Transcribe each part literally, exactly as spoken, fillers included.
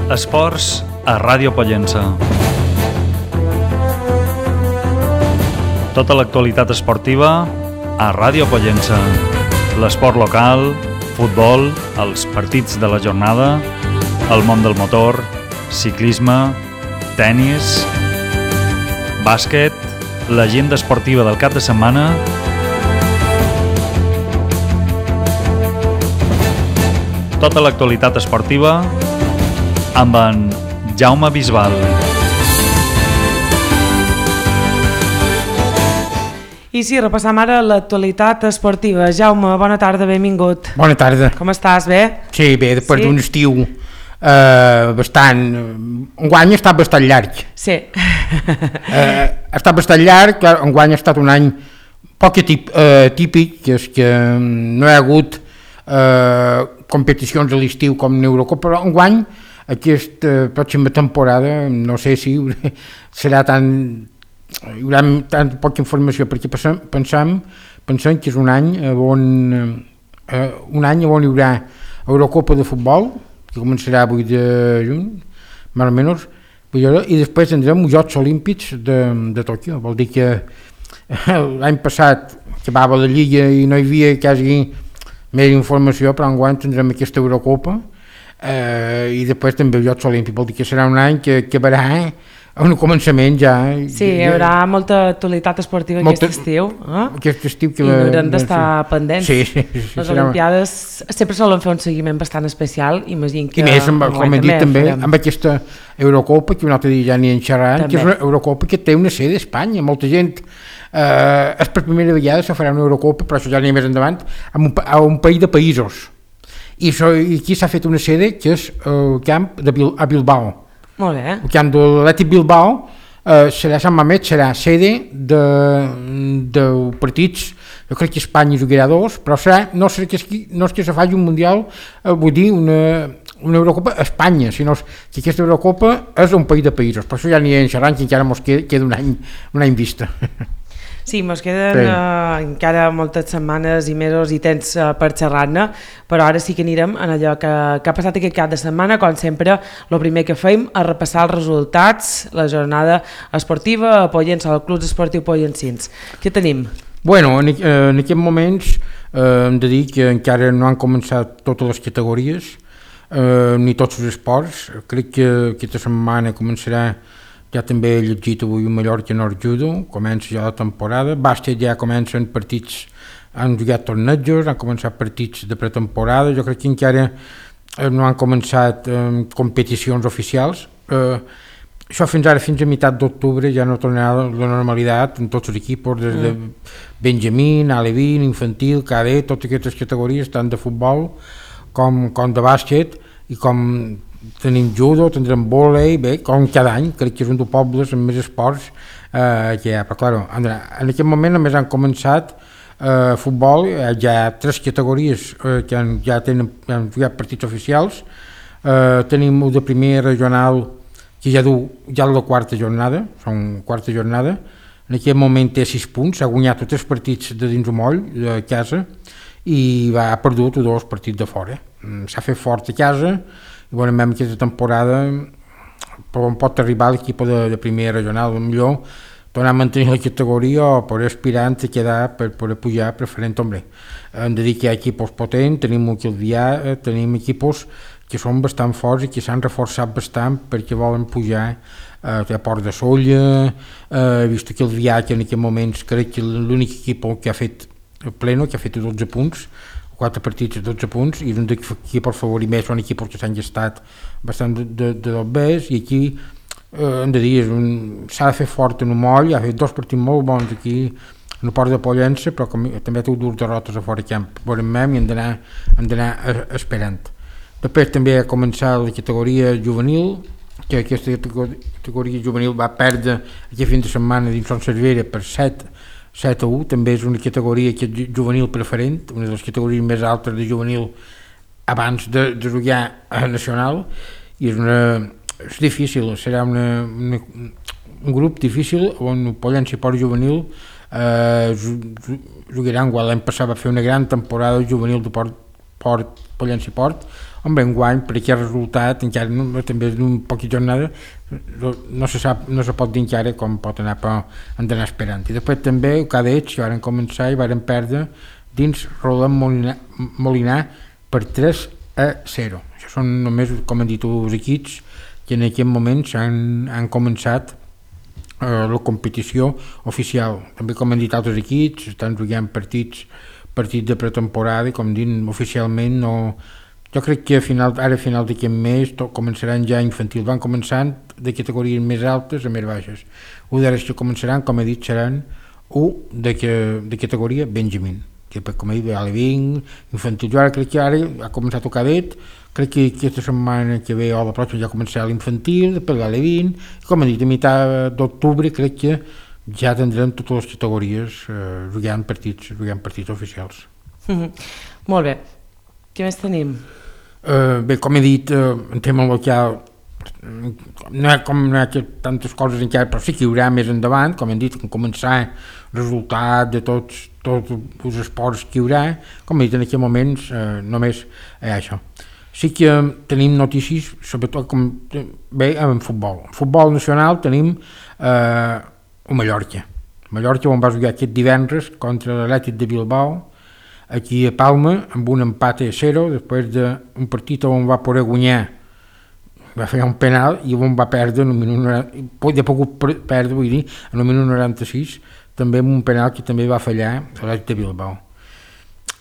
Esports a Ràdio Pollença. Tota l'actualitat esportiva a Ràdio Pollença. L'esport local, futbol, els partits de la jornada, el món del motor, ciclisme, tennis, bàsquet, l'agenda esportiva del cap de setmana, tota l'actualitat esportiva amb en Jaume Bisbal. I sí, repassam ara l'actualitat esportiva. Jaume, bona tarda, benvingut. Bona tarda. Com estàs, bé? Sí, bé, després sí? d'un estiu eh, bastant... Enguany ha estat bastant llarg. Sí. eh, ha estat bastant llarg, clar, enguany ha estat un any poc tip, eh, típic, que és que no hi ha hagut eh, competicions a l'estiu com l'Eurocopa, però enguany aquesta pròxima temporada no sé si serà tan... hi haurà tan poca informació perquè pensem, pensem, pensem que és un any on, eh, un any on hi haurà Eurocopa de futbol, que començarà avui de juny, més o menys, i després tindrem els Jocs Olímpics de, de Tòquio. Vol dir que l'any passat acabava la Lliga i no hi havia quasi més informació, però enguany tindrem aquesta Eurocopa eh, i després també els Jocs Olímpics. Vol dir que serà un any que acabarà eh, a un començament ja. Sí, hi haurà molta actualitat esportiva molta, aquest estiu. Eh? Aquest estiu que... I haurem d'estar sí. pendents. Sí, sí, sí, Les serà... Olimpiades sempre solen fer un seguiment bastant especial. Imagino que... I més, amb, com hem dit també, farem. Amb aquesta Eurocopa, que un altre dia ja n'hi en xerrant, que és una Eurocopa que té una sede a Espanya. Molta gent... Eh, és per primera vegada se farà una Eurocopa, però això ja n'hi ha més endavant, a un, a un país de països. I, so, i aquí s'ha fet una sede que és el camp de Bil, a Bilbao. Molt bé. El camp de l'Atlètic Bilbao eh, serà Sant Mamet, serà sede de, de partits, jo crec que Espanya jugarà dos, però serà, no, serà que, no és que se faci un mundial, eh, vull dir una, una Eurocopa a Espanya, sinó que aquesta Eurocopa és un país de països, per això ja n'hi ha en xerrant que encara ens queda, queda un any, un any vista. Sí, ens queden sí. uh, encara moltes setmanes i mesos i temps uh, per xerrar-ne, però ara sí que anirem en allò que, que ha passat aquest cap de setmana. Com sempre, el primer que fem és repassar els resultats, la jornada esportiva a Pollença, al Club Esportiu Pollensins. Què tenim? Bueno, en, en aquests moments eh, hem de dir que encara no han començat totes les categories, eh, ni tots els esports. Crec que aquesta setmana començarà. Ja també he llegit avui un Mallorca Nord Judo, comença ja la temporada, bàsquet ja comencen partits, han jugat tornejos, han començat partits de pretemporada, jo crec que encara no han començat eh, competicions oficials, eh, això fins ara, fins a meitat d'octubre ja no tornarà la normalitat en tots els equips, des de Benjamín, Alevín, infantil, cadet, totes aquestes categories, tant de futbol com, com de bàsquet, i com tenim judo, tindrem vòlei, bé, com cada any, crec que és un dels pobles amb més esports eh, que hi ha, però clar, en aquest moment només han començat eh, futbol, eh, ja hi ha tres categories eh, que han, ja tenen, han jugat partits oficials, eh, tenim un de primer regional que ja du, ja la quarta jornada, són quarta jornada, en aquest moment té sis punts, ha guanyat tots els partits de dins el moll, de casa, i va, ha perdut dos partits de fora, s'ha fet fort a casa, i veurem aquesta temporada per on pot arribar l'equip de, de primera regional, millor tornar a mantenir la categoria o poder aspirant a quedar per poder pujar preferent. Hombre, hem de dir que hi ha equips potents, tenim un Quilvià, tenim equips que són bastant forts i que s'han reforçat bastant perquè volen pujar eh, a Port de Solla, eh, he vist que el Quilvià, que en aquest moments crec que l'únic equip que ha fet pleno, que ha fet dotze punts, quatre partits, dotze punts, i un d'aquí per favor i més són equips que s'han gestat bastant de, de, de dos bes, i aquí eh, hem de dir, s'ha de fer fort en un moll, ha fet dos partits molt bons aquí en el Port de Pollença, però com, també té dues derrotes a fora camp, veurem i hem d'anar hem d'anar esperant. Després també ha començat la categoria juvenil, que aquesta categoria juvenil va perdre aquest fin de setmana dins Son Cervera per set set a u, també és una categoria que és juvenil preferent, una de les categories més altes de juvenil abans de, de jugar a nacional, i és, una, és difícil, serà una, una, un grup difícil on Pollença i Port Juvenil eh, jugaran, l'any passat va fer una gran temporada juvenil de Port Port, Pollença i Port, home, enguany, per aquest resultat, encara no, també és un poquet jornada, no, no, se sap, no se pot dir encara com pot anar, però hem d'anar esperant. I després també, el Cadets, que van començar i van perdre dins Roland Molinar, Molinar per tres a zero. Això són només, com han dit els equips, que en aquest moment han, han començat eh, la competició oficial. També, com han dit altres equips, estan jugant partits, partits de pretemporada i, com dic, oficialment no... Jo crec que a final, ara a final d'aquest mes tot, començaran ja infantils. Van començant de categories més altes a més baixes. Un d'ara que començaran, com he dit, seran un de, que, de categoria Benjamin, que com he dit, alevín, infantil. Jo ara crec que ara ha començat el cadet, crec que aquesta setmana que ve o la pròxima ja començarà l'infantil, després l'alevín, i com he dit, a meitat d'octubre crec que ja tindrem totes les categories eh, jugant partits, jugant partits oficials. Mm-hmm. Molt bé. Què més tenim? Uh, bé, com he dit, uh, en tema local no hi ha, com, no hi ha tantes coses encara, però sí que hi haurà més endavant, com hem dit, en començar el resultat de tots, tots els esports que hi haurà, com he dit en aquests moments, uh, només hi ha això. Sí que uh, tenim notícies, sobretot com, bé, en futbol. En futbol nacional tenim uh, el Mallorca. Mallorca on va jugar aquest divendres contra l'Atlètic de Bilbao, aquí a Palma, amb un empat a zero, després d'un partit on va poder guanyar, va fer un penal i on va perdre en un minut noranta, ja pogut perdre, vull dir, en un minut noranta-sis, també amb un penal que també va fallar a l'Atlètic de Bilbao.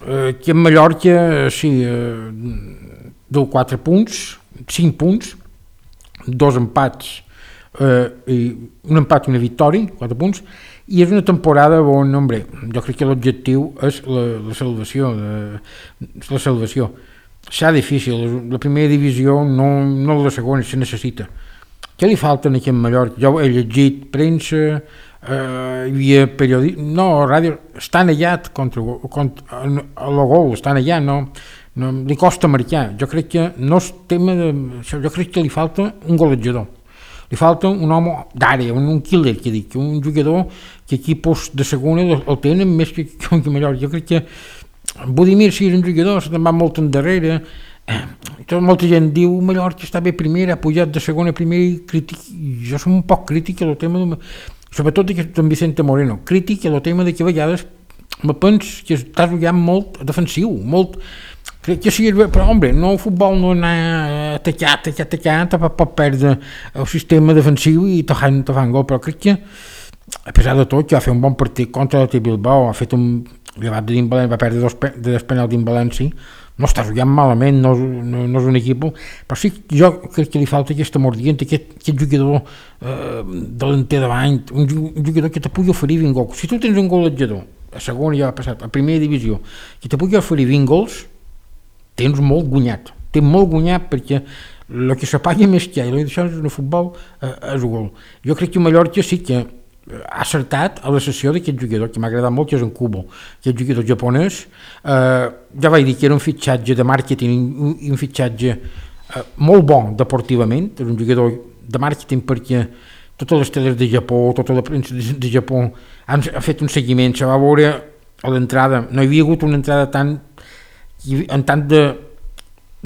Eh, aquí en Mallorca, sí, eh, deu quatre punts, cinc punts, dos empats, eh, i un empat i una victòria, quatre punts, i és una temporada on, hombre, jo crec que l'objectiu és la, la salvació, de, la salvació. Serà difícil, la primera divisió no, no la segona, se necessita. Què li falta aquí en Mallorca? Jo he llegit premsa, eh, hi havia periodistes, no, ràdio, estan allà contra, contra a la gol, estan allà, no, no, li costa marcar. Jo crec que no és tema de... Jo crec que li falta un golejador. Li falta un home d'àrea, un, un killer, que dic, un jugador que equipos de segona el tenen més que, que, que Mallorca. Jo crec que Budimir sí és un jugador, se te'n va molt endarrere, eh, molta gent diu Mallorca està bé primera, ha pujat de segona a primera i crític, jo som un poc crític el tema, de, sobretot d'en Vicente Moreno, crític el tema de que a vegades me pens que estàs jugant molt defensiu, molt... Crec que sí, però, home, no, el futbol no anar atacat, atacat, atacat, pot perdre el sistema defensiu i te fan, te fan gol, però crec que, a pesar de tot, que va fer un bon partit contra l'Atlètic Bilbao, ha fet un llevat de València, va perdre dos, de dos penals dins València, no està jugant malament, no, no, no és un equip, però sí, jo crec que li falta aquesta mordient, aquest, aquest jugador eh, delanter davant, un, un jugador que te pugui oferir vint gols. Si tu tens un golejador, a segona ja ha passat, a primera divisió, que te pugui oferir vint gols, tens molt guanyat, tens molt guanyat perquè el que se paga més que hi ha, i això és el futbol, eh, és el gol. Jo crec que Mallorca sí que ha acertat a la sessió d'aquest jugador, que m'ha agradat molt, que és en Kubo, aquest jugador japonès, eh, ja vaig dir que era un fitxatge de màrqueting, un, un fitxatge eh, molt bon deportivament, és un jugador de màrqueting perquè totes les teles de Japó, tota la premsa de, de Japó han, han fet un seguiment, se va veure a l'entrada, no hi havia hagut una entrada tan en tant de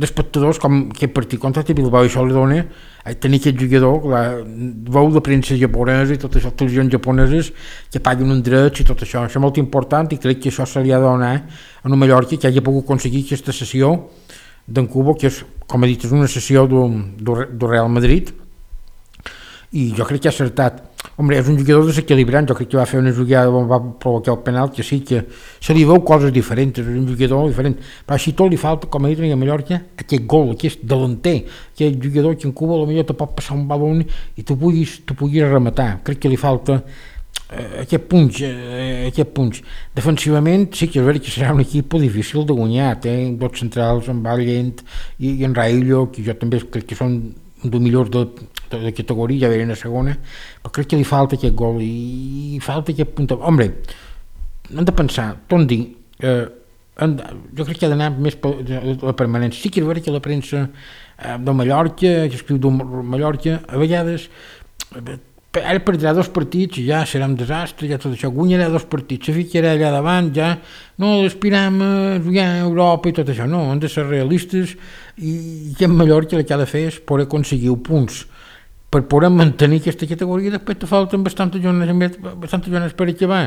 d'espectadors com aquest partit contra el Bilbao, i això li dona a tenir aquest jugador, la veu de premsa japonesa i totes les televisions japoneses que paguen un drets i tot això, això és molt important i crec que això se li ha de donar a un Mallorca que hagi pogut aconseguir aquesta sessió d'en Kubo, que és, com he dit, és una sessió del Real Madrid, i jo crec que ha acertat. Hombre, és un jugador desequilibrant, jo crec que va fer una jugada on va provocar el penal, que sí que se li veu coses diferents, és un jugador diferent, però així tot li falta, com he dit a Mallorca, aquest gol, aquest delanter, aquest jugador que en Cuba potser te pot passar un balón i tu puguis, tu puguis rematar. Crec que li falta eh, aquest punx, eh, aquest punx. Defensivament sí que és veritat que serà un equip difícil de guanyar, té dos centrals, en Vallent i, i en Raillo, que jo també crec que són un dels millors de, de, de categoria, ja venen a segona, però crec que li falta aquest gol i, i falta aquest punt. Hombre, hem de pensar, tot dir, eh, de, jo crec que ha d'anar més per la permanència. Sí que és veritat que la premsa eh, de Mallorca, que escriu de Mallorca, a vegades eh, ara perdrà dos partits i ja serà un desastre, ja tot això, guanyarà dos partits, se ficarà allà davant, ja no aspirem a jugar a Europa i tot això, no, hem de ser realistes i, i en Mallorca el que ha de fer és poder aconseguir punts per poder mantenir aquesta categoria. Després te falten bastantes jornades, bastantes jornades per acabar,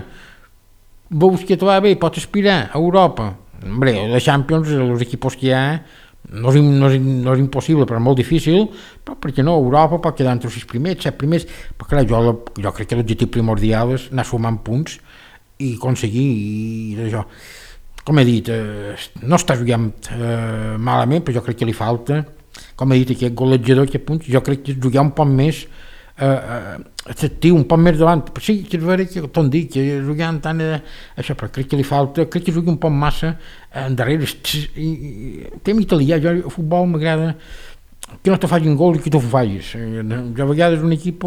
veus que te va bé, pots aspirar a Europa. Hombre, la Champions, els equipos que hi ha, no és, no, és, no és impossible, però molt difícil, però perquè no, Europa pot quedar entre els sis primers, set primers, però clar, jo, jo crec que l'objectiu primordial és anar sumant punts i aconseguir i això. Com he dit, eh, no està jugant eh, malament, però jo crec que li falta, com he dit, aquest golejador, aquest punts, jo crec que jugar un poc més eh, atractiu, un poc més davant, però sí, que és vera que t'ho dic, que jugant tant eh, això, però crec que li falta, crec que jugui un poc massa endarrere, i, i, tem italià, jo a futbol m'agrada que no te facin gol i que tu ho facis. Jo a vegades un equip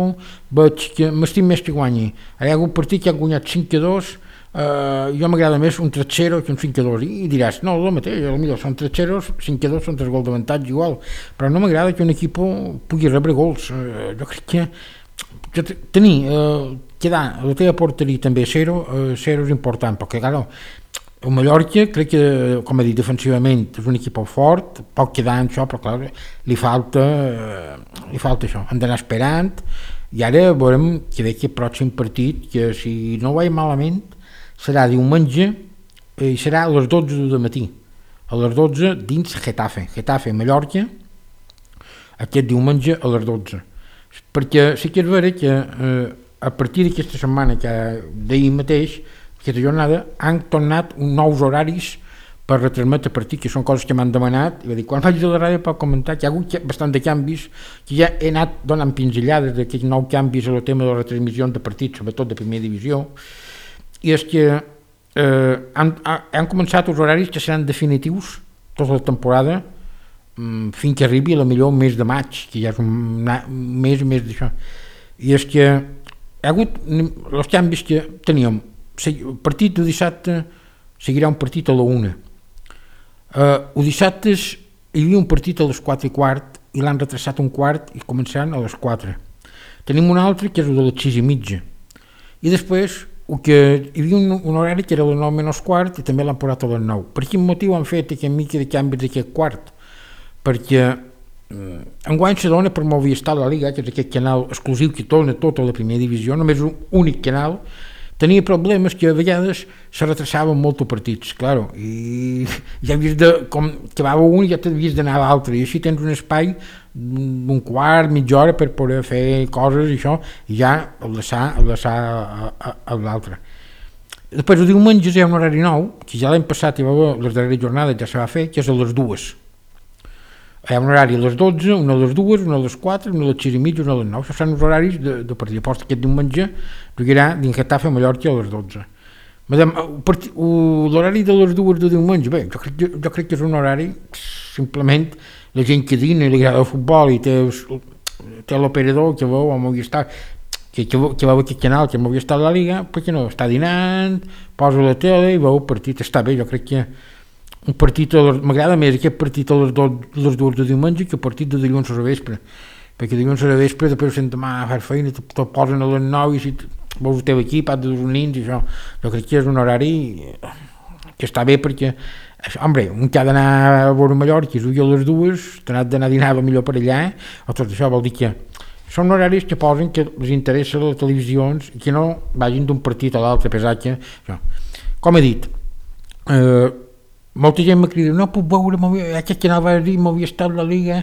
veig que m'estim més que guanyi. Hi ha algun partit que ha guanyat cinc a dos, uh, jo m'agrada més un tres zero que un cinc a dos, i, i diràs, no, el mateix, potser són tres zero, cinc a dos són tres gols d'avantatge igual, però no m'agrada que un equip pugui rebre gols. Uh, jo crec que, que tenir, uh, quedar a la teva porteria també zero, uh, zero és important, perquè clar, el Mallorca crec que, com he dit, defensivament és un equip fort, pot quedar en això, però clar, li falta, eh, li falta això, hem d'anar esperant, i ara veurem que ve que el pròxim partit, que si no ho vaig malament, serà diumenge i serà a les dotze del matí, a les dotze dins Getafe, Getafe, Mallorca, aquest diumenge a les dotze, perquè sí que és vera que eh, a partir d'aquesta setmana, que d'ahir mateix, aquesta jornada, han tornat nous horaris per retransmetre partit, que són coses que m'han demanat, i va dir, quan vaig a la ràdio per comentar que hi ha hagut bastant de canvis, que ja he anat donant pinzellades d'aquests nous canvis en el tema de les retransmissions de partits, sobretot de primera divisió, i és que eh, han, han començat els horaris que seran definitius tota la temporada, mm, fins que arribi a la millor mes de maig, que ja és un, un mes més d'això, i és que hi ha hagut els canvis que teníem. El partit de dissabte seguirà un partit a la una. Uh, el dissabte hi havia un partit a les quatre i quart i l'han retrasat un quart i començaran a les quatre. Tenim un altre que és el de les sis i mitja. I després el que, hi havia un, un horari que era a les nou menys quart i també l'han posat a les nou. Per quin motiu han fet aquest mica de canvis d'aquest quart? Perquè um, enguany se dona per Movistar la Liga, que és aquest canal exclusiu que torna tota la primera divisió, només un únic canal. Tenia problemes que a vegades se retrasaven molt els partits, claro, i ja havies de, com acabava un ja t'havies d'anar a l'altre, i així tens un espai d'un quart, mitja hora per poder fer coses i això, i ja enlaçar, enlaçar a, a, a l'altre. Després el diumenge hi ha un horari nou, que ja l'any passat hi va haver les darreres jornades, ja se va fer, que és a les dues. Hi ha un horari a les dotze, una a les dues, una a les quatre, una a les sis i mitja, una a les nou. Això són els horaris de, de partit. Llavors aquest diumenge jugarà dins Getafe a Mallorca a les dotze. L'horari de les dues de diumenge, bé, jo crec, jo crec que és un horari, simplement la gent que dina i li agrada el futbol i té, té l'operador que veu a Movistar, que, que, que veu aquest canal, que Movistar la Liga, perquè no, està dinant, posa la tele i veu el partit, està bé, jo crec que un partit, m'agrada més aquest partit a les, do, les dues de diumenge que el partit de dilluns a la vespre, perquè dilluns a la vespre després sent demà a fer feina, te, te posen a les nou i si veus el teu equip, has de dos nins i això, jo crec que és un horari que està bé perquè, això, home, un que ha d'anar a veure Mallorca i jugui a les dues, t'ha d'anar a dinar millor per allà, o tot això vol dir que són horaris que posen que els interessa les televisions i que no vagin d'un partit a l'altre, pesar que, això. Com he dit, eh, molta gent m'ha cridat, no puc veure, aquest canal va dir Movistar la Liga,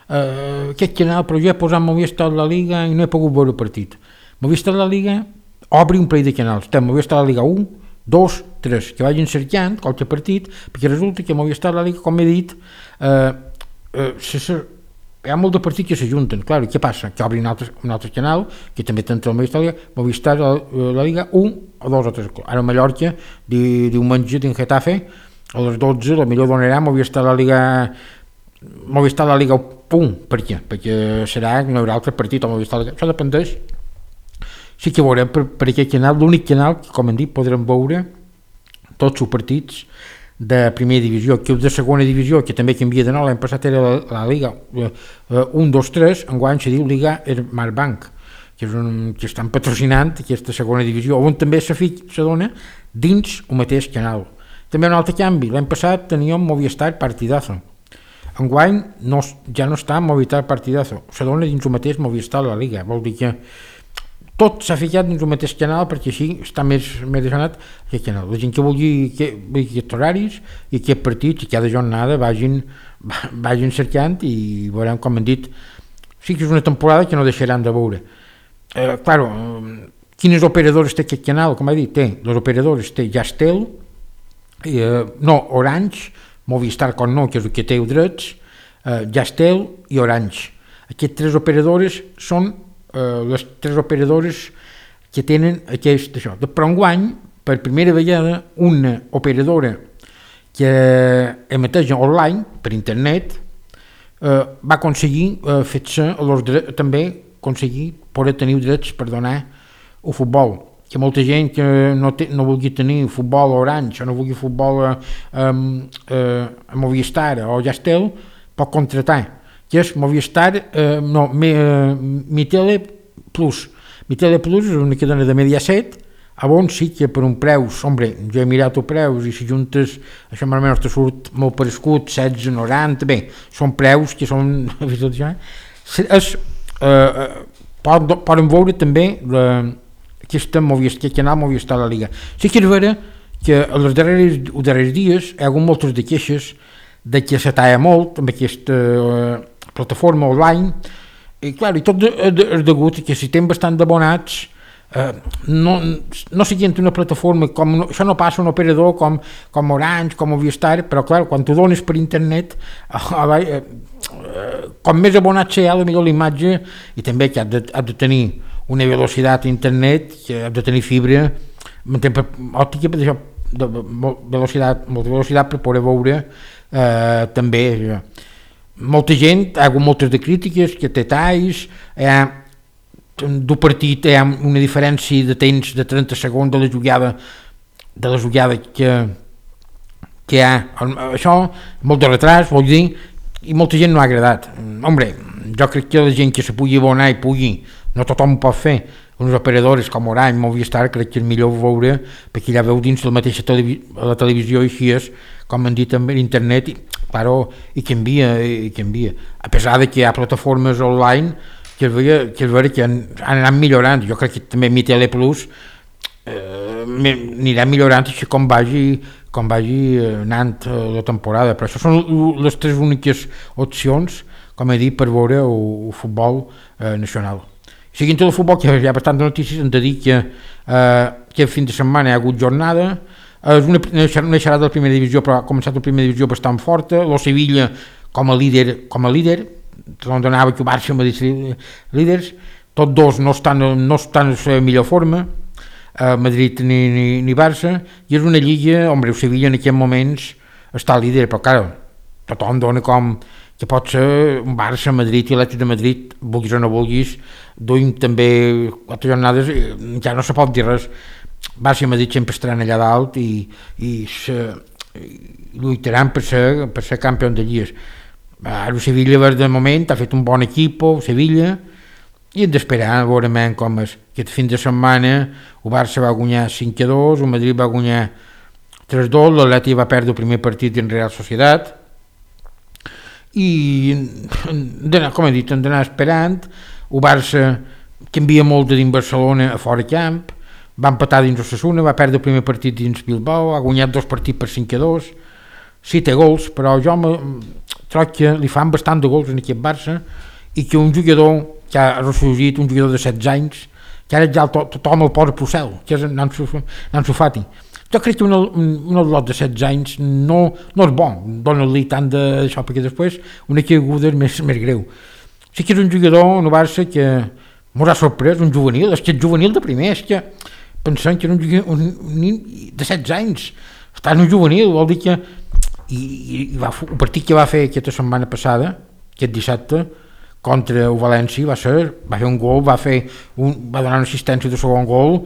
uh, aquest canal, però jo he posat Movistar la Liga i no he pogut veure el partit. Movistar la Liga obri un parell de canals, té Movistar la Liga un, dos, tres, que vagin cercant qualque partit, perquè resulta que Movistar la Liga, com he dit, uh, uh, se, se, hi ha molt de partits que s'ajunten, clar, què passa? Que obrin un altre, un altre canal, que també té el Movistar la Liga, Movistar la, la Liga un o dos o tres, ara a Mallorca, di, diumenge dins Getafe, a les dotze, la millor donarà Movistar la Liga Movistar la Liga punt. Per què? Perquè serà que no hi haurà altre partit a Movistar la Liga. Això dependeix. Sí que veurem per, per aquest canal, l'únic canal que, com hem dit, podrem veure tots els partits de primera divisió, que els de segona divisió, que també canvia de nou, l'any passat era la, la Liga un, dos, tres, enguany se diu Liga Smartbank, que, és un, que estan patrocinant aquesta segona divisió, on també se, se dona dins el mateix canal. També un altre canvi, l'any passat teníem Movistar Partidazo. Enguany no, ja no està Movistar Partidazo, se dona dins el mateix Movistar la Liga, vol dir que tot s'ha ficat dins el mateix canal perquè així està més, més desanat aquest canal. La gent que vulgui que, aquests horaris i aquests partits i cada jornada vagin, vagin cercant i veurem, com hem dit, sí que és una temporada que no deixaran de veure. Eh, claro, quines operadores té aquest canal? Com he dit, té les operadores, té Yastel, eh, no, Orange, Movistar com no, que és el que té els drets, eh, Yastel i Orange. Aquestes tres operadores són Uh, les tres operadores que tenen aquest això. Però enguany, per primera vegada, una operadora que emeteix online per internet uh, va aconseguir uh, fer-se els drets, també aconseguir poder tenir drets per donar el futbol, que molta gent que no, té, no vulgui tenir futbol Orange o no vulgui futbol a, a, a Movistar o Yastel pot contratar, que és Movistar, eh, no, mi, eh, Mitele Plus. Mitele Plus és una que dona de Mediaset, a on sí que per un preus, hombre, jo he mirat els preus i si juntes, això més o menys te surt molt parescut, setze noranta, bé, són preus que són, és, eh, poden, poden veure també la, aquesta Movistar, aquest canal Movistar la Liga. Sí que és vera que els darrers, els darrers dies hi ha hagut moltes de queixes de que se talla molt amb aquesta eh, plataforma online i clar, i tot és de, degut que si tenen bastant d'abonats eh, no, no siguin una plataforma com, això no passa un operador com, com Orange, com Movistar, però clar, quan tu dones per internet eh, eh, com més abonats hi ha, millor l'imatge i també que has de, has de tenir una velocitat a internet, que has de tenir fibra òptica, de, de velocitat, molta velocitat per poder veure eh, també eh, molta gent, hi ha hagut moltes de crítiques que té talls, hi ha d'un partit hi ha una diferència de temps de trenta segons de la jugada de la jugada que, que hi ha, això molt de retras, vol dir, i molta gent no ha agradat. Hombre, jo crec que la gent que se pugui abonar i pugui, no tothom ho pot fer, uns operadors com Orange, Movistar, crec que és millor veure perquè ja veu dins la mateixa televi- la televisió i així és, com han dit amb l'internet, i, claro, i canvia, i canvia. A pesar de que hi ha plataformes online que es veia que, es veia que han, han anat millorant, jo crec que també Mitele Plus eh, anirà millorant així com vagi, com vagi anant la temporada, però això són les tres úniques opcions, com he dit, per veure el, el futbol eh, nacional. Seguint el futbol, que hi ha bastant de notícies, hem de dir que eh, aquest fin de setmana hi ha hagut jornada, és una, una xerrada de la primera divisió, però ha començat la primera divisió bastant forta, el Sevilla com a líder, com a líder, on donava que el Barça Madrid líders, tots dos no estan, no estan en la millor forma, eh, Madrid ni, ni, ni Barça, i és una lliga, home, el Sevilla en aquests moments està líder, però clar, tothom dona com que pot ser un Barça, Madrid i l'Atlètic de Madrid, vulguis o no vulguis, duim també quatre jornades, ja no se pot dir res. Barça i Madrid sempre estaran allà dalt i, i, se, i lluitaran per ser, per ser campió de lligues. El Sevilla de moment ha fet un bon equip, el Sevilla, i hem d'esperar a veure com és. Aquest fin de setmana el Barça va guanyar cinc a dos, el Madrid va guanyar tres a dos, l'Atlètic va perdre el primer partit en Real Societat i com he dit, hem d'anar esperant. El Barça canvia molt de dins Barcelona a fora camp, va empatar dins Osasuna, va perdre el primer partit dins Bilbao, ha guanyat dos partits per cinc a dos, sí té gols, però jo trobo que li fan bastant de gols en aquest Barça i que un jugador que ha ressorgit, un jugador de setze anys, que ara ja to, tothom el posa Procel, que és Ansu Fati. Jo crec que un, un lot de setze anys no, no és bo, dona-li tant d'això, perquè després una caiguda és més, més greu. Sí que és un jugador en el Barça que m'haurà sorprès, un juvenil, és que és juvenil de primer, és que pensant que era un, un, un nen de setze anys, està en un juvenil, vol dir que i, i va, el partit que va fer aquesta setmana passada, aquest dissabte, contra el València, va ser, va fer un gol, va, fer un, va donar una assistència de segon gol,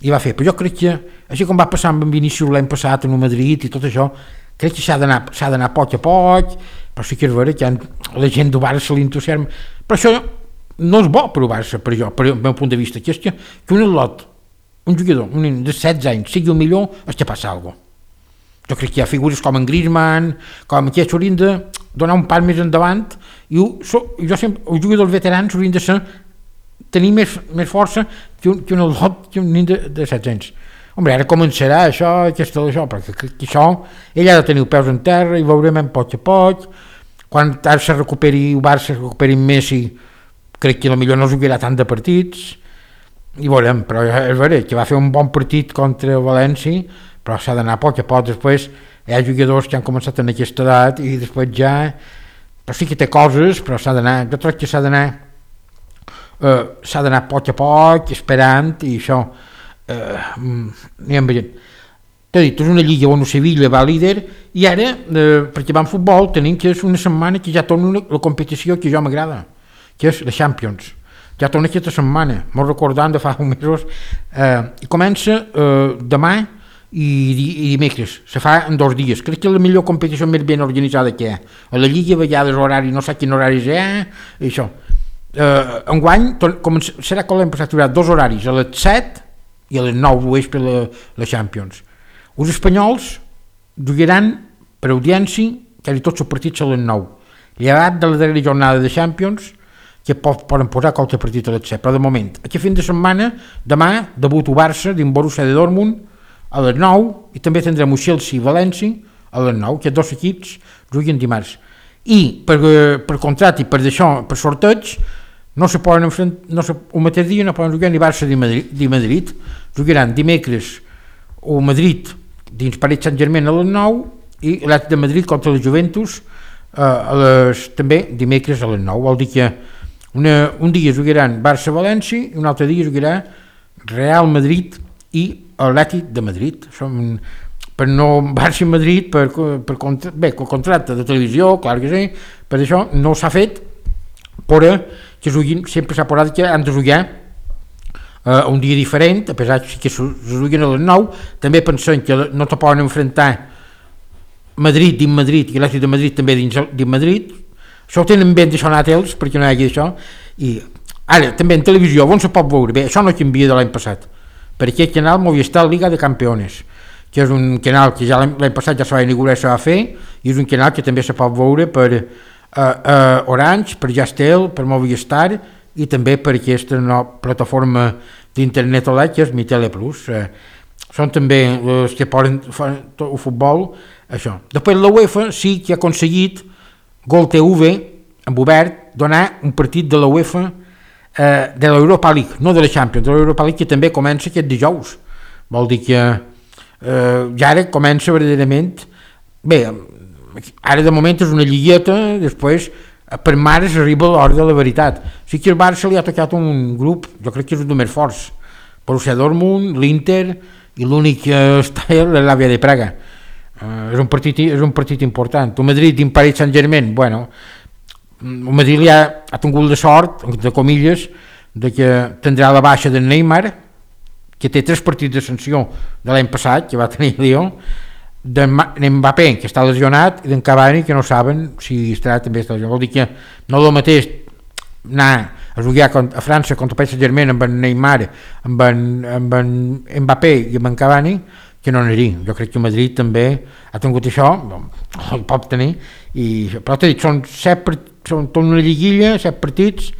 i va fer, però jo crec que, així com va passar amb Vinícius l'any passat en el Madrid i tot això, crec que s'ha d'anar s'ha d'anar a poc a poc, però sí que és vera que la gent del Barça se l'entusiasma, però això no és bo per el Barça, per jo, per el meu punt de vista, que és que, que un atlot, un jugador un nen de setze anys sigui el millor, és que passa alguna cosa. Jo crec que hi ha figures com en Griezmann, com aquests haurien de donar un pas més endavant, i ho, so, jo sempre, els jugadors veterans haurien de ser, tenir més, més força que un, que un atlot, que un nen de, de setze anys. Hombre, ara començarà això, aquesta, això, perquè crec que això, ell ha de tenir els peus en terra i veurem en poc a poc. Quan ara se recuperi el Barça, se recuperi Messi, crec que potser no jugarà tant de partits, i veurem, però és veritat que va fer un bon partit contra el València, però s'ha d'anar a poc a poc. Després hi ha jugadors que han començat en aquesta edat i després ja, però sí que té coses, però s'ha d'anar, jo crec que s'ha d'anar eh, s'ha d'anar a poc a poc, esperant, i això eh, anem veient. T'he dit, és una lliga on el Sevilla va líder, i ara, eh, perquè va en futbol, tenim que és una setmana que ja torna una, la competició que jo m'agrada, que és la Champions. Ja torna aquesta setmana, m'ho recordant de fa uns mesos, eh, i comença eh, demà i, i dimecres, se fa en dos dies. Crec que és la millor competició més ben organitzada que hi ha. A la Lliga a vegades horari, no sé quin horari hi ha, i això. Eh, enguany serà com l'hem passat, hi haurà dos horaris, a les set i a les nou d'oest per la, la Champions. Els espanyols jugaran per audiència quasi tots els partits a les nou. Llevat de la darrera jornada de Champions, que poden posar qualque partit a les set, però de moment, aquest fin de setmana, demà, debut el Barça dins Borussia de Dortmund a les nou, i també tindrem el Chelsea i València a les nou, que dos equips juguen dimarts. I per, per contrat i per d'això, per sorteig, no se poden enfrentar, no se, el mateix dia no poden jugar ni Barça ni Madrid, ni Madrid. Jugaran dimecres o Madrid dins Paris Saint-Germain a les nou i l'Atlètic de Madrid contra la Juventus eh, a les, també dimecres a les nou. Vol dir que Una, un dia jugaran Barça-València i un altre dia jugarà Real Madrid i Atlètic de Madrid. Som, per no Barça i Madrid per, per contra, bé, el contracte de televisió, clar que sí, per això no s'ha fet, però que juguin, sempre s'ha posat que han de jugar eh, un dia diferent, a pesar que se juguen a les nou. També pensem que no te poden enfrontar Madrid dins Madrid i Atlètic de Madrid també dins, dins Madrid. Això ho tenen ben deixonat ells, perquè no hi hagi això. I ara, també en televisió, on se pot veure? Bé, això no canvia de l'any passat, per aquest canal Movistar Liga de Campeones, que és un canal que ja l'any passat ja se va inaugurar i se va fer, i és un canal que també se pot veure per uh, uh, Orange, per Jastel, per Movistar, i també per aquesta no, plataforma d'internet O L E D, que és Mi Tele Plus. Uh, són també els que poden fer el futbol, això. Després la UEFA sí que ha aconseguit Gol T V, amb obert, donar un partit de la UEFA eh, de l'Europa League, no de la Champions, de l'Europa League, que també comença aquest dijous. Vol dir que eh, ja ara comença verdaderament, bé, ara de moment és una lligueta, després per mares arriba l'hora de la veritat. Sí que el Barça li ha tocat un grup, jo crec que és un dels més forts, Borussia Dortmund, l'Inter, i l'únic que està és l'Àvia de Praga. Uh, és, un partit, és un partit important. El Madrid dins Paris Saint-Germain, bueno, el Madrid ja ha tingut la sort, de comilles, de que tindrà la baixa de Neymar, que té tres partits de sanció de l'any passat, que va tenir Lió, de Mbappé, que està lesionat, i d'en Cavani, que no saben si estarà també està lesionat. Vol dir que no el mateix anar a jugar a França contra el Paris Saint-Germain amb en Neymar, amb en, amb en Mbappé i amb en Cavani, que no aniria. Jo crec que Madrid també ha tingut això, el pot tenir, i, però t'he dit, són set, són tot una lliguilla, set partits,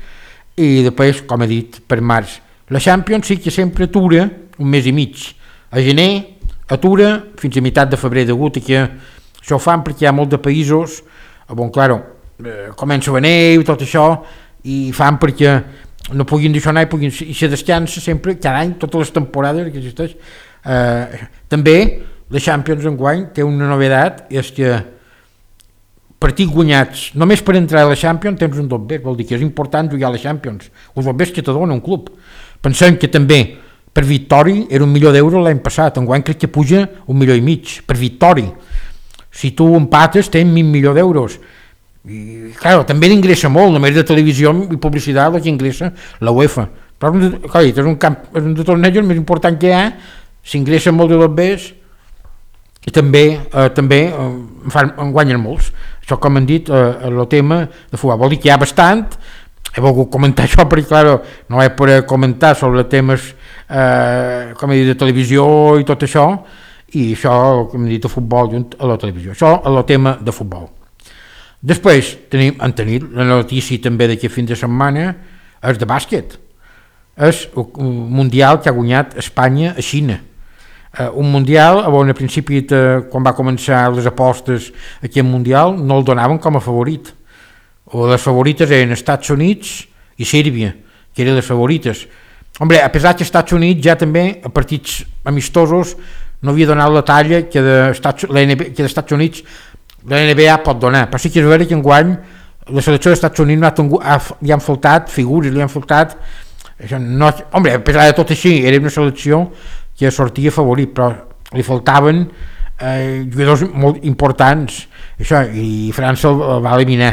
i després, com he dit, per març. La Champions sí que sempre atura un mes i mig. A gener atura fins a meitat de febrer, degut a que això ho fan perquè hi ha molts de països, bon, claro, eh, comença a neu i tot això, i fan perquè no puguin deixar anar i, puguin, i se descansa sempre, cada any, totes les temporades que existeix. Eh, també la Champions enguany té una novedat, és que partits guanyats només per entrar a la Champions tens un dobbet, vol dir que és important jugar a la Champions, els dobbets que te dona un club. Pensem que també per victòria era un milió d'euros l'any passat, enguany crec que puja un milió i mig per victòria. Si tu empates tens mil milió d'euros, i clar, també ingressa molt, només de televisió i publicitat la que ingressa la UEFA, però clar, és un camp, és un de tornejos més important que hi ha, s'ingressen molt de dobbers i també, eh, també eh, en, fan, en guanyen molts. Això, com han dit, eh, el tema de futbol vol dir que hi ha bastant, he volgut comentar això perquè, clar, no he pogut comentar sobre temes eh, com he dit, de televisió i tot això, i això, com he dit, de futbol junt a la televisió. Això és el tema de futbol. Després tenim, han tenit la notícia també d'aquest fin de setmana, és de bàsquet. És un mundial que ha guanyat Espanya a Xina. Uh, un mundial on a principi, de, quan va començar les apostes aquest mundial, no el donaven com a favorit. O les favorites eren Estats Units i Sèrbia, que eren les favorites. Hombre, a pesar que Estats Units ja també, a partits amistosos, no havia donat la talla que d'Estats Units la N B A pot donar, però sí que és vera que enguany la selecció dels Estats Units no ha tingut, ha, li han faltat figures, li han faltat això no, home, a pesar de tot així era una selecció que sortia favorit, però li faltaven eh, jugadors molt importants això, i França el, el va eliminar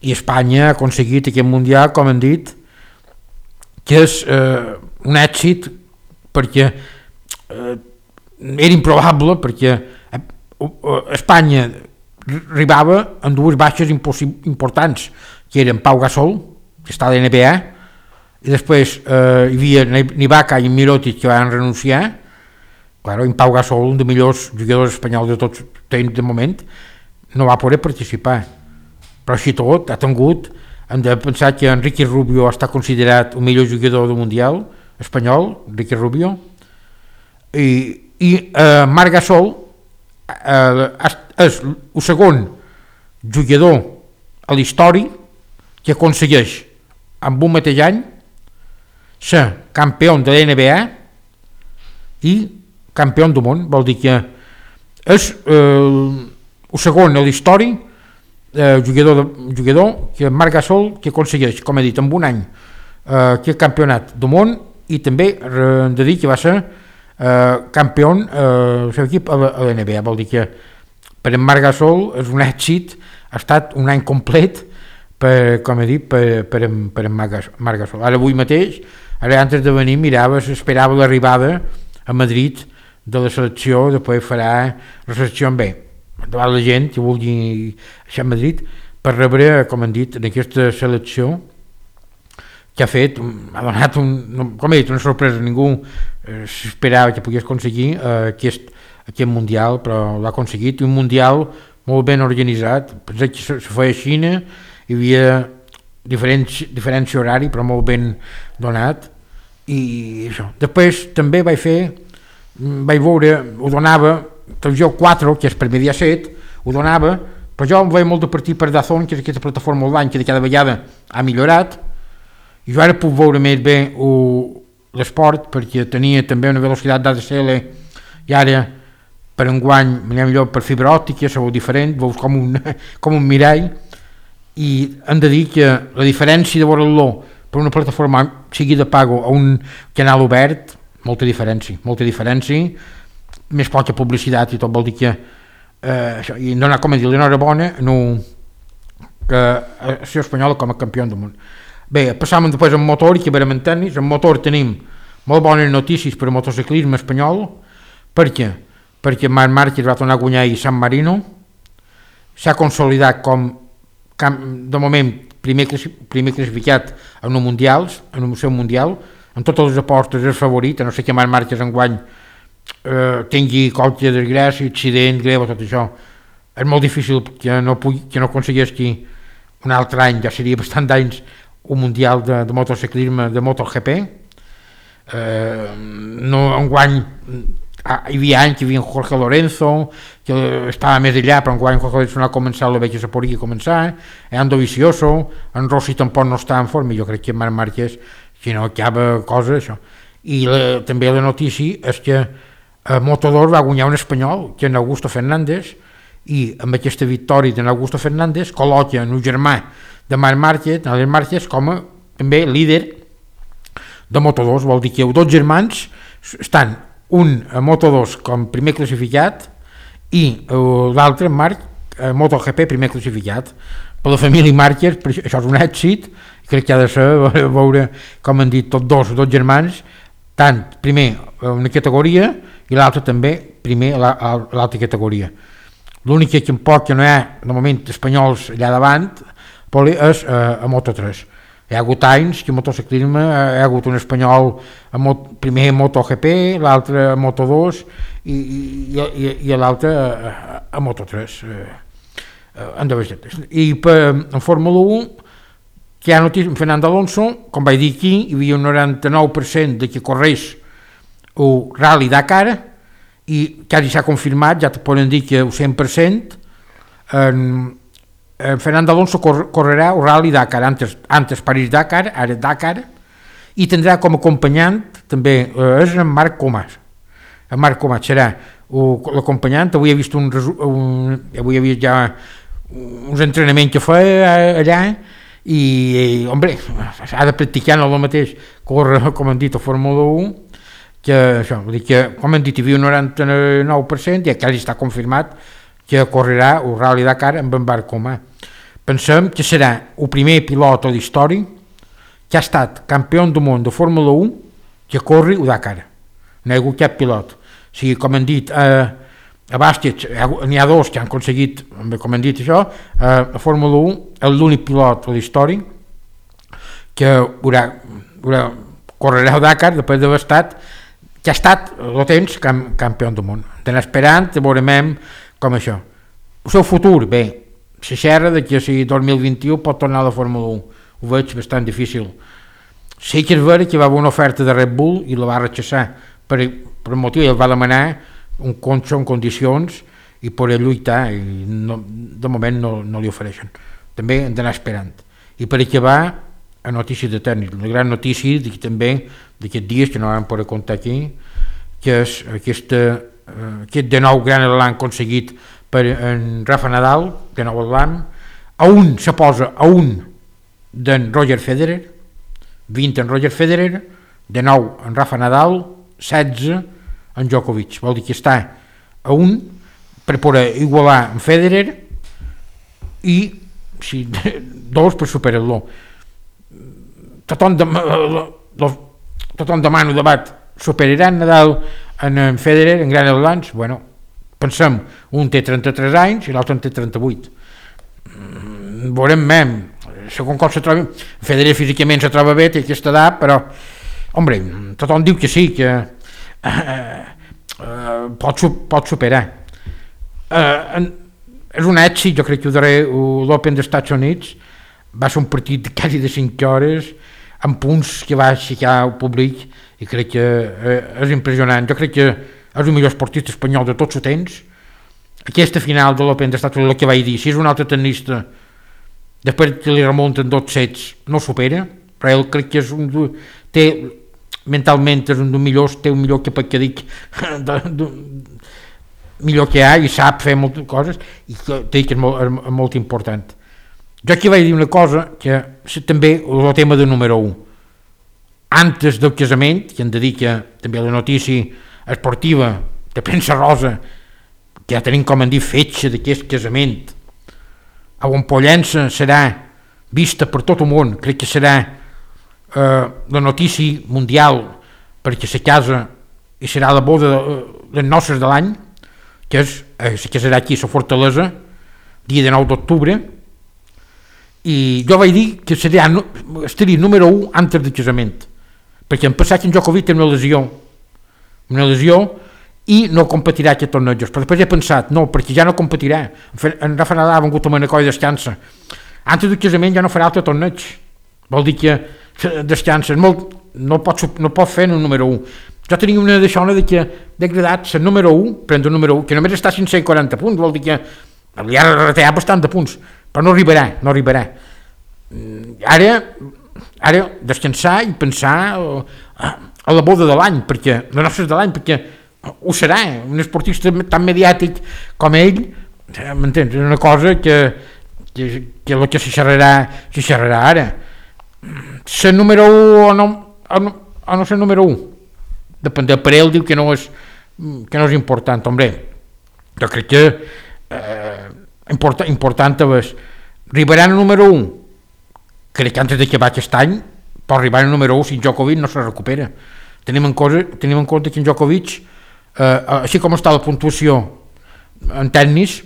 i Espanya ha aconseguit aquest mundial, com han dit, que és eh, un èxit perquè eh, era improbable, perquè Espanya arribava amb dues baixes importants, que eren Pau Gasol, que està a la N B A, i després eh, hi havia Ibaka i Mirotic, que van renunciar. Claro, en Pau Gasol, un dels millors jugadors espanyols de tots temps de moment, no va poder participar. Però així tot, ha tingut, hem de pensar que Enrique Rubio està considerat el millor jugador del Mundial espanyol, Enrique Rubio, i, i eh, Marc Gasol Uh, és el segon jugador a la història que aconsegueix amb un mateix any ser campió de la N B A i campió del món. Vol dir que és uh, el segon a la història uh, jugador, de, jugador que Marc Gasol que aconsegueix, com he dit, en un any uh, que campionat del món, i també hem de dir que va ser Uh, campió uh, el seu equip a la, a la N B A. Vol dir que per en Marc Gasol és un èxit, ha estat un any complet per, com he dit, per, per, en, per en Marc Gasol. Ara avui mateix, ara antes de venir mirava, s'esperava l'arribada a Madrid de la selecció, després farà la selecció en bé davant la gent que vulgui això a Madrid per rebre, com han dit, en aquesta selecció que ha fet, ha donat un, com he dit, una sorpresa. Ningú eh, s'esperava que pogués aconseguir eh, aquest, aquest mundial, però l'ha aconseguit, i un mundial molt ben organitzat. Pensé que se, se feia a Xina, hi havia diferents, diferència horari, però molt ben donat, i això. Després també vaig fer, vaig veure, ho donava, televisió quatre, que és per Mediaset, ho donava, però jo em veia molt de partit per Dazón, que és aquesta plataforma online que de cada vegada ha millorat, i jo ara puc veure més bé l'esport, perquè tenia també una velocitat d'A D S L, i ara per enguany m'anava millor per fibra òptica, se veu diferent, veus com un, com un mirall, i hem de dir que la diferència de veure-lo per una plataforma sigui de pago a un canal obert, molta diferència, molta diferència, més poca publicitat i tot, vol dir que eh, això, i donar, com a dir, l'enhorabona no, que a la espanyola com a campió del món. Bé, passàvem després en motor, i que verem en tennis. En motor tenim molt bones notícies per al motociclisme espanyol. Per què? Perquè Marc Márquez va tornar a guanyar a San Marino, s'ha consolidat com, de moment, primer, primer classificat en els mundials, en el seu mundial, en totes les apostes és favorit, a no ser que Marc Márquez enguany eh, tingui qualque desgràcia, accident greu, tot això. És molt difícil que no, pugui, que no aconsegueixi un altre any, ja seria bastant d'anys, un mundial de, de motociclisme, de MotoGP. Eh, no enguany hi havia anys que hi havia Jorge Lorenzo, que estava més allà, però enguany Jorge Lorenzo no ha començat, la veig que se podria començar, eh, Ando Vicioso, en Rossi tampoc no està en forma, jo crec que Marc Márquez, si no acaba cosa, això. I la, també la notícia és que a Moto dos va guanyar un espanyol, que és Augusto Fernández, i amb aquesta victòria d'Augusto Fernández col·loca un germà de Marc Márquez, Alex Márquez, com a també líder de Moto dos. Vol dir que els dos germans estan, un a Moto dos com primer classificat i l'altre, Marc, a MotoGP primer classificat. Per la família Márquez, això és un èxit, crec que ha de ser veure, com han dit tots dos, dos germans, tant primer a una categoria i l'altre també primer a l'altra categoria. L'únic que em pot que no hi ha de moment espanyols allà davant és a, a Moto tres. Hi ha hagut anys que a motociclisme hi ha hagut un espanyol a mot, primer a MotoGP, l'altre a Moto dos i, i, i, i l'altre a, a Moto tres. I per, en Fórmula un, que hi ha notícia, Fernando Alonso, com vaig dir aquí, hi havia un noranta-nou per cent de que correix el Rally Dakar i quasi s'ha confirmat, ja te poden dir que el cent per cent en, en Fernando Alonso cor, correrà el Rally Dakar, antes, antes París-Dakar, ara Dakar, i tindrà com acompanyant també eh, és en Marc Comas. En Marc Comas serà l'acompanyant. Avui he vist un, un avui he vist ja uns entrenaments que feia allà i, i hombre, ha de practicar no el mateix corre, com hem dit, a Fórmula un, que això, vull dir que, com hem dit, hi havia un noranta-nou per cent i quasi està confirmat que correrà el Rally Dakar amb en Marc Comas. Pensem que serà el primer pilot a la història que ha estat campió del món de Fórmula un que corri el Dakar. No hi ha hagut cap pilot. O sigui, com hem dit, eh, a Bàsquet n'hi ha dos que han aconseguit, com hem dit això, eh, a Fórmula un és l'únic pilot a la història que haurà, haurà, correrà el Dakar després d'haver estat que ha estat el temps camp, campió del món. Estem esperant, veurem com això. El seu futur, bé, se xerra de que si dos mil vint-i-u pot tornar a la Fórmula un. Ho veig bastant difícil. Sí que és vera que va haver una oferta de Red Bull i la va rechaçar per, per un motiu, ell va demanar un conxo en condicions i poder lluitar i no, de moment no, no li ofereixen. També hem d'anar esperant. I per acabar, a notícies de tècnic, la gran notícia de que també d'aquests dies que no vam poder comptar aquí, que és aquesta, eh, aquest de nou gran elan aconseguit per en Rafa Nadal, de nou elan, a un se posa a un d'en Roger Federer, vint en Roger Federer, de nou en Rafa Nadal, setze en Djokovic. Vol dir que està a un per poder igualar en Federer i si, dos per superar-lo. Tothom, de, lo, tothom demana el debat, superaran Nadal en, en Federer en gran eslams? Bueno, pensem, un té trenta-tres anys i l'altre en té trenta-vuit. Mm, veurem mem, segons com se troba, Federer físicament se troba bé, té aquesta edat, però, hombre, tothom diu que sí, que eh, eh, pot, pot superar. Eh, en, és un èxit, jo crec que ho daré, l'Open dels Estats Units va ser un partit de quasi de cinc hores, amb punts que va aixecar el públic i crec que eh, és impressionant. Jo crec que és el millor esportista espanyol de tots els temps. Aquesta final de l'Open dels Estats Units, el que vaig dir, si és un altre tenista després que li remunten dos sets no supera, però ell crec que és un té, mentalment és un dels millors, té un millor que per què dic de, de, millor que hi ha i sap fer moltes coses i té que és molt, és molt important. Jo aquí vaig dir una cosa que també el tema de número un. Antes del casament, que hem de dir que també la notícia esportiva de premsa rosa, que ja tenim com hem dit fetge d'aquest casament, a on Pollença serà vista per tot el món, crec que serà eh, la notícia mundial perquè se casa i serà la boda de, les noces de l'any, que és, eh, se casarà aquí a la Fortalesa, dia de nou d'octubre, i jo vaig dir que seria, estaria número un antes del casament, perquè en passat en Djokovic té una lesió, una lesió i no competirà aquest tornejos, però després he pensat, no, perquè ja no competirà, en Rafa Nadal ha vengut amb una colla i descansa, antes del casament ja no farà altre torneig, vol dir que descansa, molt, no, pot, no pot fer en el número un. Jo tenia una d'això de que degradat ser número un, prendre el número un, que només està a cinc cents i quaranta punts, vol dir que li ha retallat bastant de punts, però no arribarà, no arribarà. Ara, ara descansar i pensar a la boda de l'any, perquè les nostres de l'any, perquè ho serà, un esportista tan mediàtic com ell, m'entens? És una cosa que, que, que el que se xerrarà, se xerrarà ara. Ser número un o no, o no, o no ser número un, depèn per ell, diu que no és, que no és important, hombre. Jo crec que eh, important, important és arribarà al número un, crec que antes d'acabar aquest any pot arribar al número un si Djokovic no se recupera. Tenim en, cosa, tenim en compte que en Djokovic, eh, així com està la puntuació en tennis,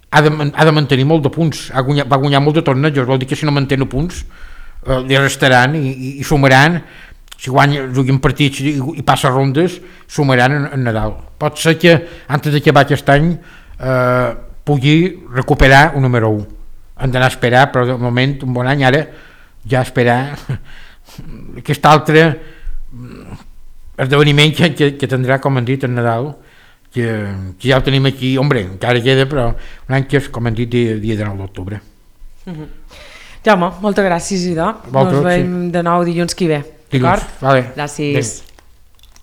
ha de, ha de mantenir molt de punts, ha guanyat, va guanyar molt de tornejos, vol dir que si no mantén punts eh, li restaran i, i, i sumaran, si guanya, juguen partits i, i passa rondes, sumaran en, en Nadal. Pot ser que, antes d'acabar aquest any, eh, pugui recuperar un número u. Hem d'anar a esperar, però de moment, un bon any, ara, ja esperar aquest altre esdeveniment que, que, que tindrà, com hem dit, en Nadal, que, que ja ho tenim aquí, hombre, encara queda, però un any que és, com hem dit, dia, dia de nou d'octubre. Mm-hmm. Jaume, moltes gràcies, idò. Ens veiem sí. de nou dilluns que ve. Dilluns, vale. Gràcies. Bé.